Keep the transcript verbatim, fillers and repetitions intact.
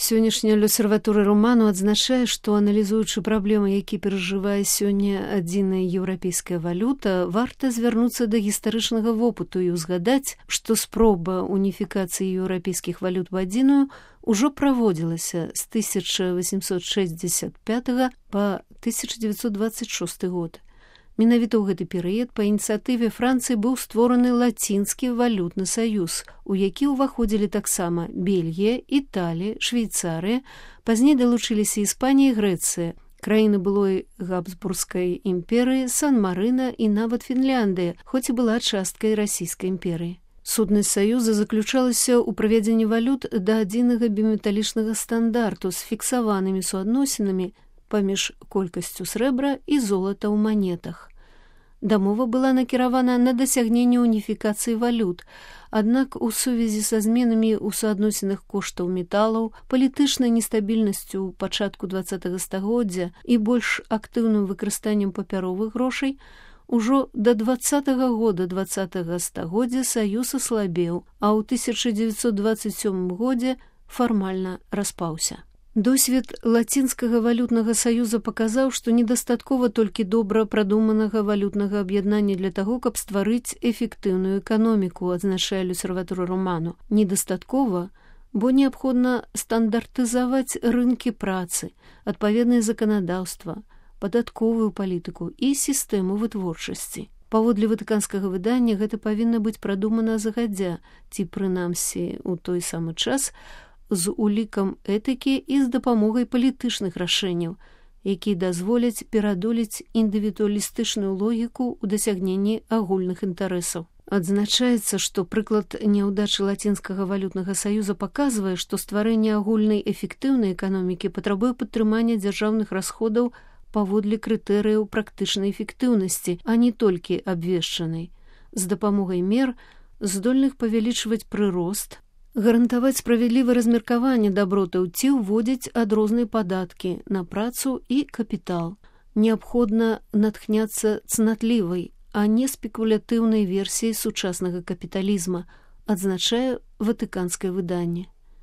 Сённяшняя L'Osservatore Romano адзначае, што, аналізуючы праблемы, які перажывае сёння адзіная еўрапейская валюта, варта звярнуцца да гістарычнага вопыту і ўзгадаць, што спроба уніфікацыі еўрапейскіх валют у адзіную ўжо праводзілася з тысяча восемьсот шестьдесят пятого па тысяча девятьсот двадцать шестой год. Менавіта ў гэты перыяд па ініцыятыве Францыі быў створаны лацінскі валютны саюз, у які ўваходзілі таксама Бельгія, Італія, Швейцарыя, пазней далучыліся Іспанія і Грэцыя, краіны былой Габсбургскай імперыі, Сан-Марына і нават Фінляндыя, хоць і была часткай расійскай імперыі. Сутнасць саюза заключалася ў правядзенні валют да адзінага біметалічнага стандарту з фіксаванымі суадносінамі паміж колькасцю срэбра і золата ў манетах. Дамова была накіравана на дасягненне уніфікацыі валют, аднак у сувязі са зменамі ў суадносінах коштаў металаў, палітычнай нестабільнасцю ў пачатку двадцатага стагоддзя і больш актыўным выкарыстаннем папяровых грошай, ужо да двадцатага года двадцатага стагоддзя саюз аслабеў, а ў тысяча девятьсот двадцать сёмым годзе фармальна распаўся. Досвед лацінскага валютнага саюза паказаў, што недастаткова толькі добра прадуманага валютнага аб'яднання для таго, каб стварыць эфектыўную эканоміку, адзначае L'Osservatore Romano. Недастаткова, бо неабходна стандартызаваць рынкі працы, адпаведнае заканадаўства, падатковую палітыку і сістэму вытворчасці. Паводле ватыканскага выдання гэта павінна быць прадумана загадзя, ці прынамсі ў той самы час, з улікам этыкі і з дапамогай палітычных рашэнняў, якія дазволяць перадолець індывідуалістычную логіку ў дасягненні агульных інтарэсаў. Адзначаецца, што прыклад няўдачы лацінскага валютнага саюза паказвае, што стварэнне агульнай эфектыўнай эканомікі патрабуе падтрымання дзяржаўных расходаў паводле крытэрыяў практычнай эфектыўнасці, а не толькі абвешчанай, з дапамогай мер, здольных павялічваць прырост, гарантаваць справядлівае размеркаванне дабротаў ці ўводзіць адрозныя падаткі на працу і капітал. Неабходна натхняцца цнатлівай, а не спекулятыўнай версіяй сучаснага капіталізма, адзначае ватыканскае выданне.